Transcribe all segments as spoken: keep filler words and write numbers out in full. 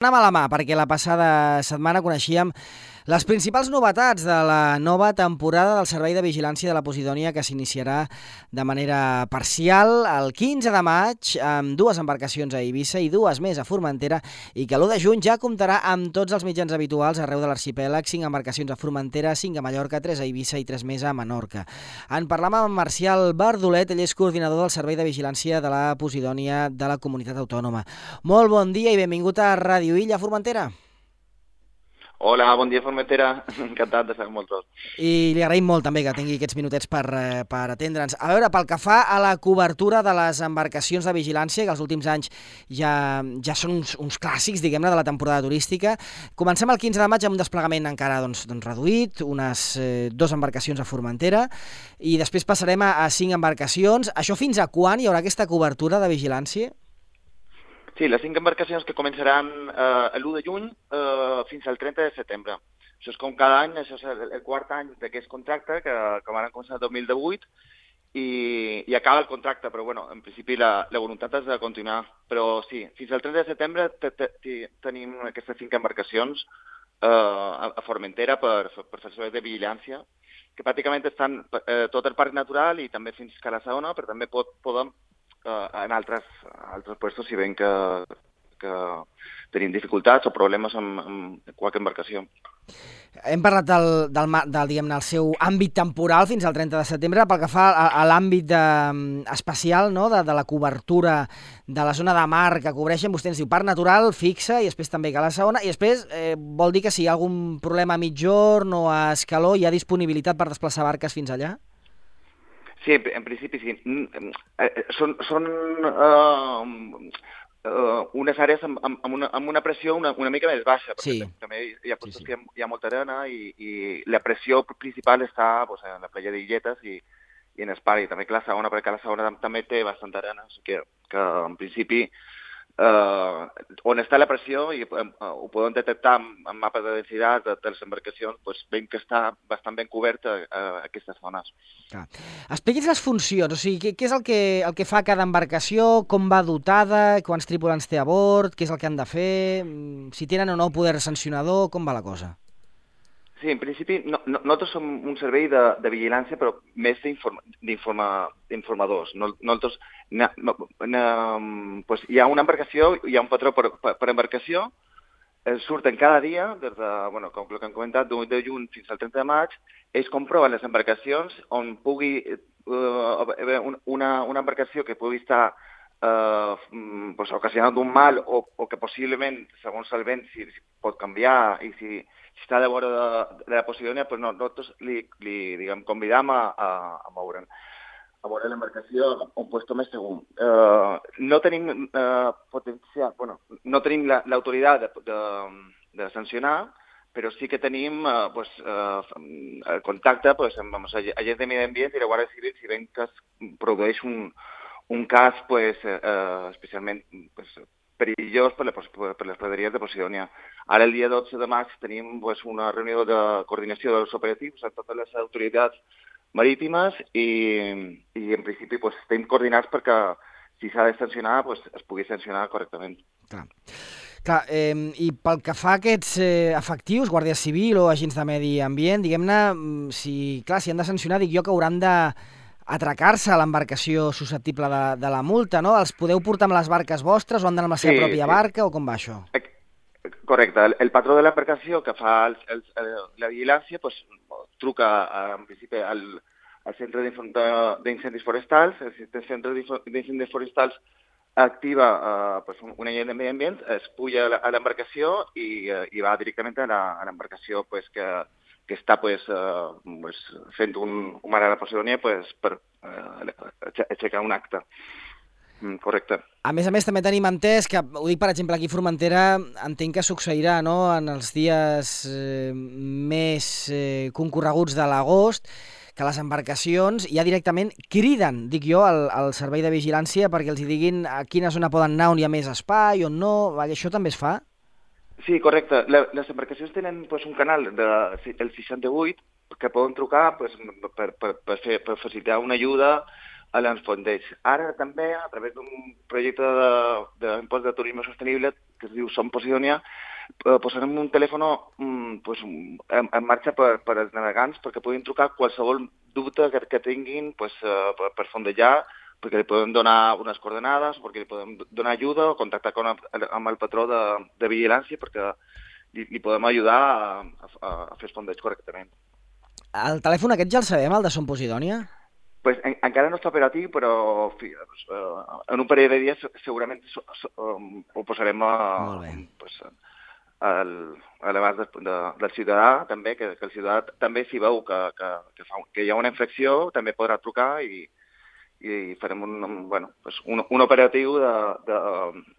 Anem a la mà, perquè la passada setmana coneixíem les principals novetats de la nova temporada del Servei de Vigilància de la Posidònia, que s'iniciarà de manera parcial el quinze de maig amb dues embarcacions a Eivissa i dues més a Formentera, i que l'u de juny ja comptarà amb tots els mitjans habituals arreu de l'arxipèlag: cinc embarcacions a Formentera, cinc a Mallorca, tres a Eivissa i tres més a Menorca. En parlam amb Marcial Bardolet, ell és coordinador del Servei de Vigilància de la Posidònia de la Comunitat Autònoma. Molt bon dia i benvingut a Ràdio Illa, Formentera. Hola, bon dia, Formentera. Encantat de estar amb vosaltres. I li agraïm molt també que tingui aquests minutets per, eh, per atendre'ns. A veure, pel que fa a la cobertura de les embarcacions de vigilància, que els últims anys ja, ja són uns, uns clàssics, diguem-ne, de la temporada turística, comencem el quinze de maig amb un desplegament encara doncs, doncs reduït, unes eh, dues embarcacions a Formentera, i després passarem a, a cinc embarcacions. Això fins a quan hi haurà aquesta cobertura de vigilància? Sí, les cinc embarcacions que començaran eh, l'u de juny eh, fins al trenta de setembre. Això és com cada any, això és el, el quart any d'aquest contracte, que, que van començar el dos mil divuit, i, i acaba el contracte, però bueno, en principi la, la voluntat és de continuar. Però sí, fins al trenta de setembre te, te, te, tenim aquestes cinc embarcacions eh, a, a Formentera per, per fer serveis de vigilància, que pràcticament estan eh, tot el parc natural i també fins a la Saona, però també pot, poden Uh, en altres, altres puestos si ven que, que tenim dificultats o problemes amb, amb qualque embarcació. Hem parlat del, del, del, diguem-ne, el seu àmbit temporal fins al trenta de setembre. Pel que fa a, a l'àmbit de, especial, no?, de, de la cobertura de la zona de mar que cobreixen, vostè ens diu parc natural, fixa, i després també que la segona, i després eh, vol dir que si hi ha algun problema a mitjorn o a escaló hi ha disponibilitat per desplaçar barques fins allà? Sí, en principi sí. Són, són uh, uh, unes àrees amb, amb, una, amb una pressió una, una mica més baixa, perquè sí. també hi ha, sí, sí. que hi ha molta arena i, i la pressió principal està pues, en la playa d'Illetes i, i en Espari. També que la segona, perquè la segona també té bastanta arena, o sigui que, que en principi Uh, on està la pressió i uh, ho podem detectar amb, amb mapes de densitat de, de les embarcacions, doncs veiem que està bastant ben coberta uh, aquestes zones. Ah. Expliqui'ns les funcions, o sigui, què, què és el que, el que fa cada embarcació, com va dotada, quants tripulants té a bord, què és el que han de fer, si tenen o no poder sancionador, com va la cosa? Sí, en principi, no, no, nosaltres som un servei de, de vigilància, però més d'informadors. Nosaltres, na, na, pues, hi ha una embarcació, hi ha un patró per, per, per embarcació, eh, surten cada dia, des de, bueno, com el que hem comentat, d'un de juny fins al trenta de maig, ells comproven les embarcacions on pugui uh, haver una, una embarcació que pugui estar Uh, pues, ocasionant un mal o, o que possiblement, segons el vent, si, si pot canviar i si, si està de vora de, de la Posidònia, pues no, nosaltres li, li diguem, convidam a, a, a moure'n, a veure l'embarcació a un lloc més segur. Uh, no tenim uh, potencial, bueno, no tenim l'autoritat de, de, de sancionar, però sí que tenim uh, pues, uh, el contacte pues, amb els agents de medi ambient i la Guàrdia Civil si ven que es produeix un un cas pues, eh, especialment pues, perillós per, la, per les praderies de Posidònia. Ara, el dia dotze de maig, tenim pues, una reunió de coordinació dels operatius amb totes les autoritats marítimes i, i en principi, pues, estem coordinats perquè si s'ha de sancionar, pues, es pugui sancionar correctament. Clar. Clar, eh, i pel que fa a aquests eh, efectius, Guàrdia Civil o agents de medi ambient, diguem-ne, si, clar, si han de sancionar, dic jo que hauran de atracar-se a l'embarcació susceptible de, de la multa, no? Els podeu portar amb les barques vostres o han d'anar amb la seva sí, pròpia sí. barca o com va això? Correcte. El, el patró de l'embarcació que fa el, el, el, la vigilància pues, truca en principi al, al centre d'incendis forestals, el centre d'incendis forestals activa uh, pues, un, un agent de medi ambient, es puja a l'embarcació i, uh, i va directament a l'embarcació pues, que que està pues, uh, pues, fent un, un mar a la Posidònia pues, per uh, aixecar un acte. Mm, correcte. A més a més, també tenim entès que, ho dic per exemple aquí a Formentera, entenc que succeirà no? En els dies eh, més eh, concorreguts de l'agost, que les embarcacions ja directament criden, dic jo, al, al servei de vigilància perquè els diguin a quina zona poden anar, on hi ha més espai, on no, això també es fa? Sí, correcte. La, les embarcacions tenen pues, un canal de, el seixanta-vuit que poden trucar pues, per, per, per, fer, per facilitar una ajuda a l'enfondeig. Ara també, a través d'un projecte d'impost de, de turisme sostenible que es diu Som Posidonia, eh, posarem un telèfon mm, pues, en, en marxa per, per als navegants perquè puguin trucar qualsevol dubte que, que tinguin pues, eh, per, per fondejar, perquè li podem donar unes coordenades, perquè li podem donar ajuda o contactar con, amb el patró de, de vigilància perquè li, li podem ajudar a, a, a fer el fondeig correctament. El telèfon aquest ja el sabem, el de Som Posidònia? Pues, en, encara no està operatiu, però fi, uh, en un parell de dies segurament so, so, um, ho posarem a, pues, al, a l'abast de, de, del ciutadà, també, que, que el ciutadà també si veu que, que, que, fa, que hi ha una infracció també podrà trucar i, i farem un, bueno, pues un, un operatiu de, de,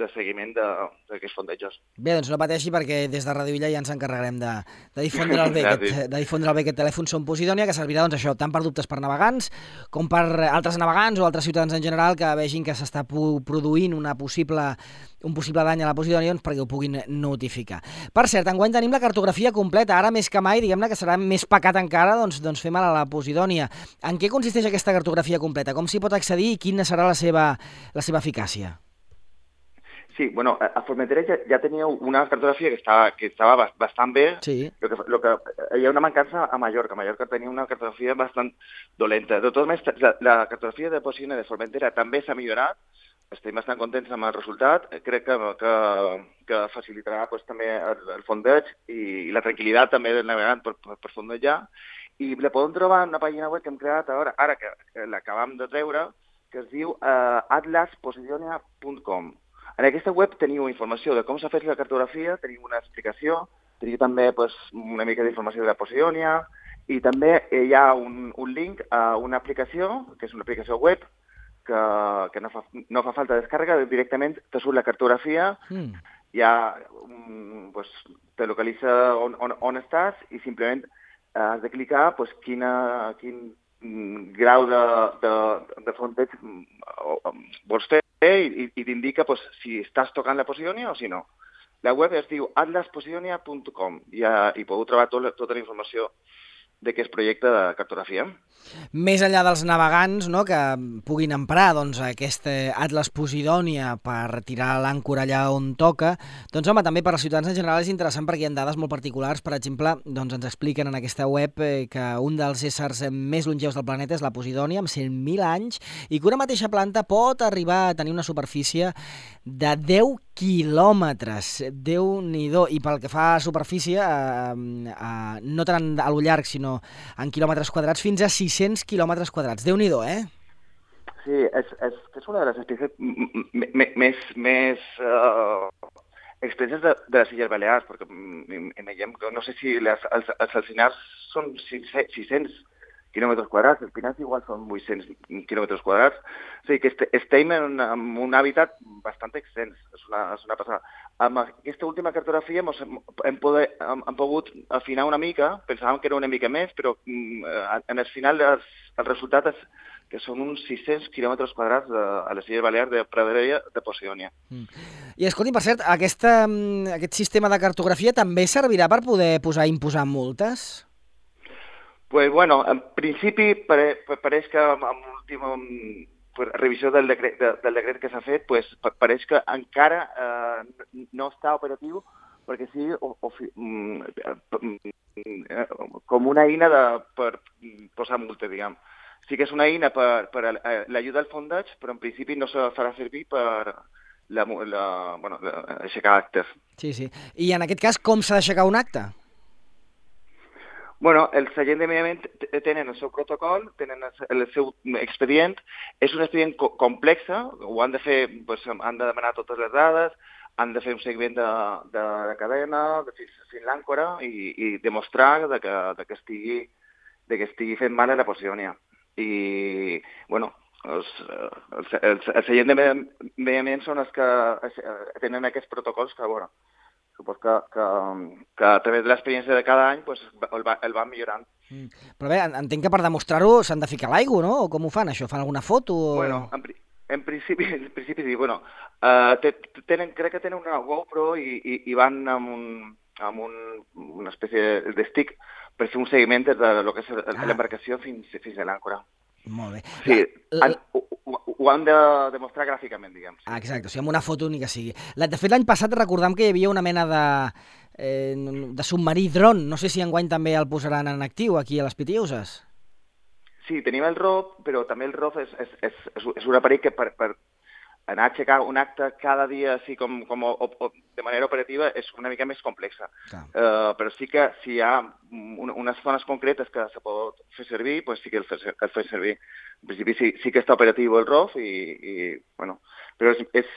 de seguiment d'aquests fondejos. Bé, doncs no pateixi perquè des de Ràdio Illa ja ens encarregarem de, de, difondre el bé aquest, de difondre el bé aquest telèfon Som Posidònia, que servirà doncs, això tant per dubtes per navegants com per altres navegants o altres ciutadans en general que vegin que s'està produint una possible, un possible dany a la Posidònia doncs, perquè ho puguin notificar. Per cert, enguany tenim la cartografia completa, ara més que mai, diguem-ne que serà més pecat encara, doncs, doncs fem a la Posidònia. En què consisteix aquesta cartografia completa? Com s'hi pot accedir i quina serà la seva, la seva eficàcia? Sí, bueno, a Formentera ja, ja teníeu una cartografia que estava, que estava bastant bé. Sí. Lo que, lo que, hi ha una mancança a Mallorca. Mallorca tenia una cartografia bastant dolenta. De totes maneres, la, la cartografia de Posidonia de Formentera també s'ha millorat. Estem bastant contents amb el resultat. Crec que, que, que facilitarà pues, també el, el fondeig i, i la tranquil·litat també del navegant per, per, per fondejar. I la podem trobar en una pàgina web que hem creat ara, ara que, que l'acabam de treure, que es diu uh, atlas posidonia punt com. En aquesta web teniu informació de com s'ha fet la cartografia, teniu una explicació, teniu també pues, una mica d'informació de la Posidonia i també hi ha un, un link a una aplicació, que és una aplicació web, que, que no, fa, no fa falta descàrrega, directament te surt la cartografia, mm. ja um, pues, te localitza on, on, on estàs i simplement uh, has de clicar pues, quina, quin grau de, de, de fondeig vols fer i, i t'indica pues, si estàs tocant la Posidonia o si no. La web es diu atlas posidonia punt com i, uh, i podeu trobar tot, tota la informació d'aquest projecte de cartografia. Més enllà dels navegants, no, que puguin emprar doncs, aquest Atlas Posidònia per tirar l'àncora allà on toca, doncs home, també per als ciutadans en general és interessant perquè hi ha dades molt particulars. Per exemple, doncs, ens expliquen en aquesta web eh, que un dels éssers més longeus del planeta és la Posidònia, amb cent mil anys, i que una mateixa planta pot arribar a tenir una superfície de deu quilòmetres. Déu-n'hi-do. I pel que fa a superfície, eh, eh, no tant a lo llarg, sinó en quilòmetres quadrats, fins a sis-cents quilòmetres quadrats. Déu-n'hi-do, eh? Sí, és, és, és una de les espècies més, més uh, extenses de, de les Illes Balears, perquè imaginem que no sé si les, els, els alzinars són sis-cents quilòmetres quadrats, els pinars igual són vuit-cents quilòmetres quadrats, o sigui que estem en, en un hàbitat bastant extens, és una, és una passada. Amb aquesta última cartografia mos hem, hem, poder, hem, hem pogut afinar una mica, pensàvem que era una mica més, però en el final els, el resultat és que són uns sis-cents quilòmetres quadrats de, a les Illes Balears de praderia de Posidonia. Mm. I escolti, per cert, aquesta, aquest sistema de cartografia també servirà per poder posar imposar multes? Pues bueno, en principi pare, pareix que amb l'última pues, revisió del decret, de, del decret que s'ha fet, pues, pareix que encara eh, no està operatiu perquè sigui o, o, com una eina de, per posar multa, diguem. Sí que és una eina per, per l'ajuda al fondeig, però en principi no se farà servir per la, la, bueno, aixecar actes. Sí, sí. I en aquest cas, com s'ha d'aixecar un acte? Bueno, els agents de medi ambient tenen el seu protocol, tenen el seu expedient, és un expedient co complex, ho han de fer, doncs, han de demanar totes les dades, han de fer un seguiment de, de, de cadena, de fins, fins l'àncora i, i demostrar de que, de que estigui, de que estigui fent mal a la Posidonia. I, bueno, els, els, els, els agents de medi ambient són els que tenen aquests protocols que, bueno, supos que, que, que a través de l'experiència de cada any pues, el, va, el van millorant. Mm. Però bé, entenc que per demostrar-ho s'han de ficar a l'aigua, no? O com ho fan, això? Fan alguna foto? O... Bueno, en, en, principi, en principi sí. Bueno, uh, tenen, crec que tenen una GoPro i, i, i van amb, un, amb un, una espècie de stick per fer un seguiment de lo que és l'embarcació fins, fins a l'àncora. Molt bé. Sí, La, han, la, ho, ho, ho han de demostrar gràficament, diguem. Sí. ah, exacte, o sigui, amb una foto ni que sigui. La, de fet, l'any passat recordam que hi havia una mena de, eh, de submarí dron. No sé si enguany també el posaran en actiu aquí a les Pitiuses. Sí, tenim el R O F, però també el R O F és, és, és, és és un aparell que per, per anar a aixecar un acte cada dia així com, com o, o, de manera operativa és una mica més complexa. Uh, però sí que si hi ha un, unes zones concretes que se pot fer servir, pues sí que el fer, el fer servir. En principi sí, sí que està operatiu el R O F i, i bueno, però és, és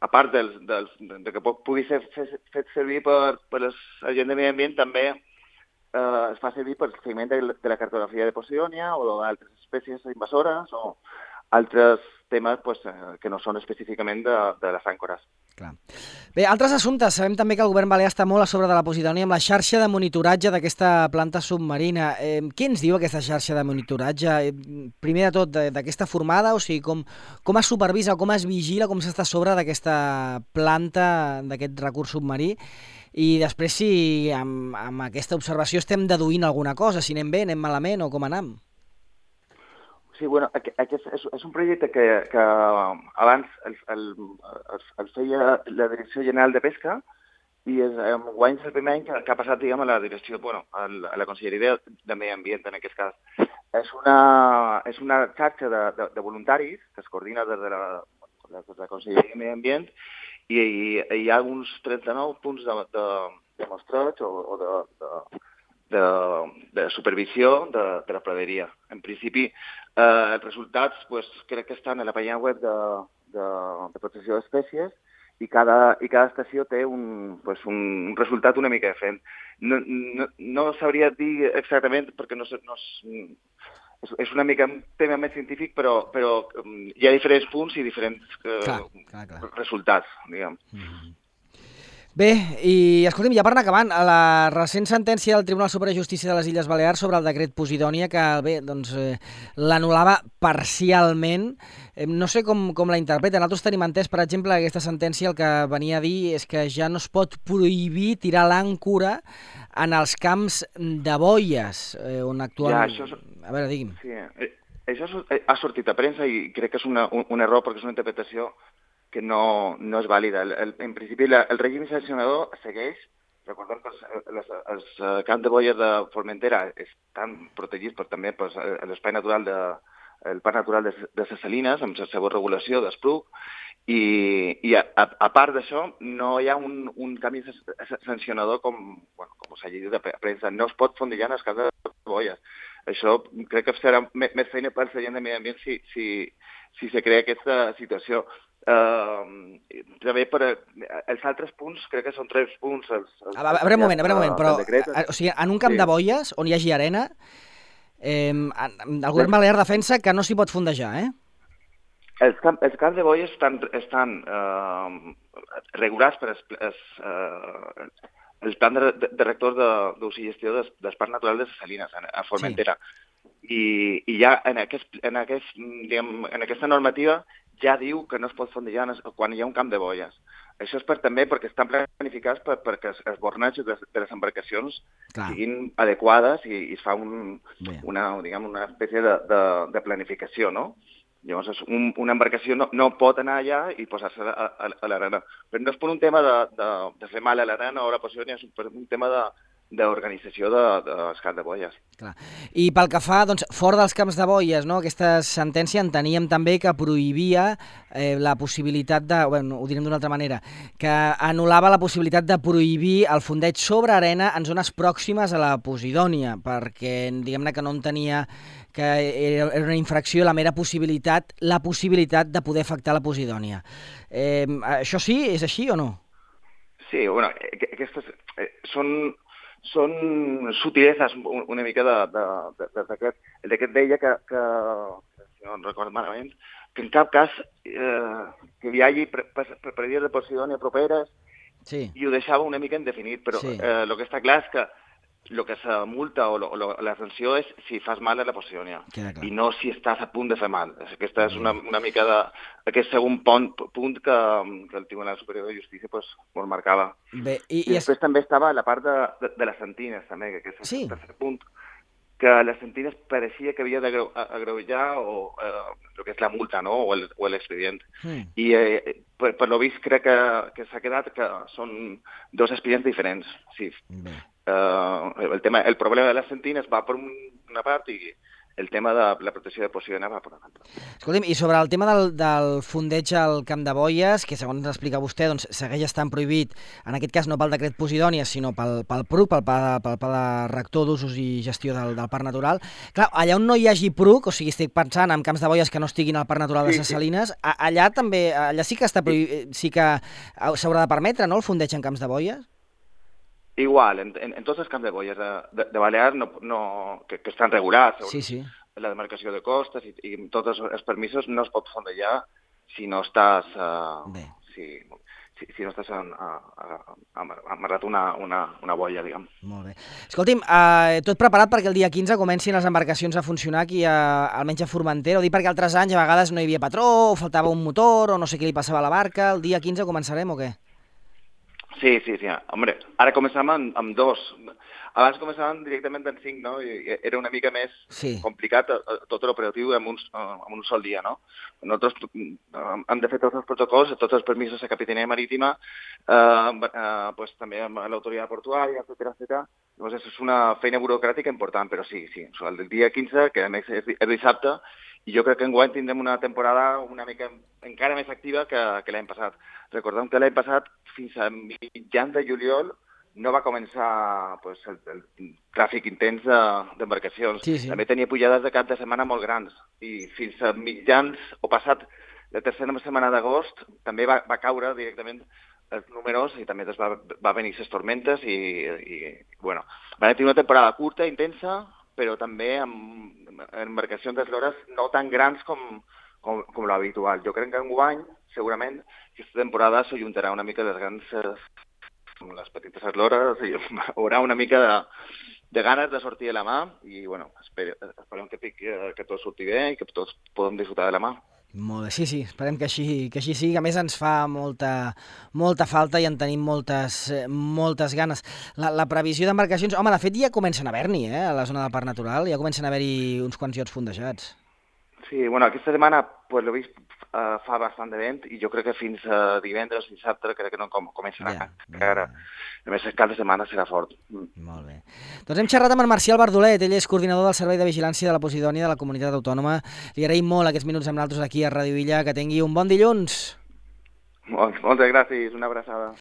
a part dels, dels, de que pugui ser fet, fet servir per, per la gent de medi ambient, també eh, es fa servir per el seguiment de, de la cartografia de Posidònia o d'altres espècies invasores o altres temes pues, eh, que no són específicament de, de les àncores. Clar. Bé, altres assumptes. Sabem també que el govern balear està molt a sobre de la Posidònia amb la xarxa de monitoratge d'aquesta planta submarina. Eh, què ens diu aquesta xarxa de monitoratge? Eh, primer de tot, d'aquesta formada, o sigui, com, com es supervisa, com es vigila, com s'està a sobre d'aquesta planta, d'aquest recurs submarí? I després si amb, amb aquesta observació estem deduint alguna cosa, si anem bé, anem malament o com anem? Sí, bueno, aquest és, és un projecte que, que abans el, el, el feia la Direcció General de Pesca i és, en guany és el primer any que, que ha passat, diguem, a la direcció, bueno, a la Conselleria de Medi Ambient, en aquest cas. És una, és una xarxa de, de, de voluntaris que es coordina des de la, des de la Conselleria de Medi Ambient i, i hi ha uns trenta-nou punts de, de, de mostreig o, o de, de, de, de supervisió de, de la praderia. En principi, eh, els resultats pues, crec que estan a la pàgina web de, de, de protecció d'espècies i cada, i cada estació té un, pues, un resultat una mica diferent. No, no, no sabria dir exactament perquè no, no és, és una mica un tema més científic, però, però hi ha diferents punts i diferents eh, clar, clar, clar. resultats, diguem. Mm-hmm. Bé, i escolti'm, ja per anar acabant, a la recent sentència del Tribunal Superior de Justícia de les Illes Balears sobre el decret Posidònia, que bé, doncs, eh, l'anul·lava parcialment, eh, no sé com, com la interpreten. Nosaltres tenim entès, per exemple, aquesta sentència el que venia a dir és que ja no es pot prohibir tirar l'àncora en els camps de boies, eh, on actualment... Ja, això... A veure, digui'm. Sí, eh, això ha sortit a premsa i crec que és una, un, un error perquè és una interpretació que no, no és vàlida. El, el, en principi, la, el règim sancionador segueix. Recordem que els, els, els camps de boies de Formentera estan protegits per també per l'espai natural de, el parc natural de, de les Salines, amb la seva regulació d'Espluc, i, i a, a, a part d'això no hi ha un, un camí sancionador com, bueno, com s'ha llegit de premsa. No es pot fondillar en els camps de boies. Això crec que serà més feina per la gent de medi ambient si, si, si se crea aquesta situació. Uh, també per els altres punts, crec que són tres punts. Els, els, a veure un moment, a veure un moment, però a, o sigui, en un camp sí. de boies on hi hagi arena, eh, el govern balear defensa que no s'hi pot fondejar, eh? Els, camp, els camps de boies estan, estan uh, regulats per els, els, uh, el plan de, de, de rector d'ús i gestió del, del Parc Natural de les Salines, a Formentera. Sí. I, i ja en, aquest, en, aquest, diguem, en aquesta normativa ja diu que no es pot fondejar quan hi ha un camp de boies. Això és per, també perquè estan planificats per, perquè els, els bornatges de, de les embarcacions Clar. siguin adequades i, i es fa un, una, diguem, una espècie de, de, de planificació, no? Llavors, un, una embarcació no, no pot anar allà i posar-se a, a, a l'arena. Però no és per un tema de, de, de fer mal a l'arena o a la Posidònia, és per un tema de, d'organització de, de, dels camps de boies. Clar. I pel que fa, doncs, fora dels camps de boies, no? Aquesta sentència enteníem també que prohibia eh, la possibilitat de, bueno, ho direm d'una altra manera, que anul·lava la possibilitat de prohibir el fondeig sobre arena en zones pròximes a la Posidònia, perquè diguem-ne que no entenia que era una infracció la mera possibilitat, la possibilitat de poder afectar la Posidònia. Eh, això sí? És així o no? Sí, bueno, aquestes eh, són... són subtileses una mica de, de, de, de decret. El decret deia que, que, si no recordo malament, que en cap cas eh, que hi hagi predies de Posidònia properes sí. i ho deixava una mica indefinit, però sí. eh, el que està clar és que el que se multa o, lo, o la sanció és si fas mal a la Posidònia i no si estàs a punt de fer mal. Aquesta és una, una mica de aquest segon punt, punt que, que el Tribunal Superior de Justícia pues, pues marcava. Bé, i, I, I després es... també estava la part de, de, de les sentines, també, que és el sí. tercer punt, que les sentines pareixia que havia d'agreujar o eh, el que és la multa, no? o el- o l'expedient. Mm. I eh, per, per lo vist crec que, que s'ha quedat que són dos expedients diferents. Sí. Mm. Eh, el, tema, el problema de les sentines va per una part i el tema de la protecció de posicionar va per una altra. Escolti'm, i sobre el tema del, del fondeig al Camp de Boies, que segons ens explica vostè, doncs, segueix estant prohibit, en aquest cas no pel decret Posidònia, sinó pel, pel P R U C, pel Pla, pel Pla de Rector d'Usos i Gestió del, del Parc Natural. Clar, allà on no hi hagi P R U C, o sigui, estic pensant en camps de boies que no estiguin al Parc Natural de Ses Salines, sí, sí. allà també, allà sí que està prohibit, sí que s'haurà de permetre, no?, el fondeig en camps de boies? Igual, en, en, en tots els camps de boies de, de, de Balears no, no, que, que estan regulats, sí, sí. la demarcació de costes i, i tots els, els permisos no es pot fondejar si no estàs, uh, si, si, si no estàs en, uh, amarrat una, una, una boia, diguem. Molt bé. Escolti'm, uh, tot preparat perquè el dia quinze comencin les embarcacions a funcionar aquí, a, almenys a Formentera? Ho dic perquè altres anys a vegades no hi havia patró, o faltava un motor, o no sé què li passava a la barca. El dia quinze començarem o què? Sí, sí, sí. Hombre, ara començàvem amb, amb dos. Abans començàvem directament en cinc, no? I era una mica més sí. complicat tot l'operatiu en, un, en un sol dia, no? Nosaltres hem de fer tots els protocols, tots els permisos de Capitania Marítima, eh, eh, pues, també amb l'autoritat portuària, etcètera, etcètera. Llavors, és una feina burocràtica important, però sí, sí. O sigui, el dia quinze, que a més és, és dissabte, i jo crec que enguany tindrem una temporada una mica encara més activa que, que l'any passat. Recordem que l'any passat, fins a mitjans de juliol, no va començar pues, el, el tràfic intens d'embarcacions. Sí, sí. També tenia pujades de cap de setmana molt grans. I fins a mitjans, o passat la tercera setmana d'agost, també va, va caure directament els números i també va, va venir les tormentes i, i bueno, van tenir una temporada curta, intensa, però també amb embarcacions d'eslores no tan grans com, com, com l'habitual. Jo crec que enguany, segurament, aquesta temporada s'ajuntarà una mica les grans, les petites eslores, i hi haurà una mica de, de ganes de sortir de la mà, i bueno, espere, esperem que, que tot surti bé i que tots podem disfrutar de la mà. Molt bé, sí, sí, esperem que així, que així sigui. A més, ens fa molta, molta falta i en tenim moltes, moltes ganes. La, la previsió d'embarcacions... Home, de fet, ja comencen a haver-n'hi, eh, a la zona del Parc Natural. Ja comencen a haver-hi uns quants iots fondejats. Sí, bueno, aquesta setmana, pues, l'he vist, uh, fa bastant de vent i jo crec que fins a divendres, dissabte, crec que no com, començarà. Ja, ja, ja. A més, cap de setmana serà fort. Mm. Molt bé. Doncs hem xerrat amb en Marcial Bardolet, ell és coordinador del Servei de Vigilància de la Posidònia de la Comunitat Autònoma. Li agraïm molt aquests minuts amb nosaltres aquí a Ràdio Illa. Que tingui un bon dilluns. Molt, moltes gràcies, una abraçada.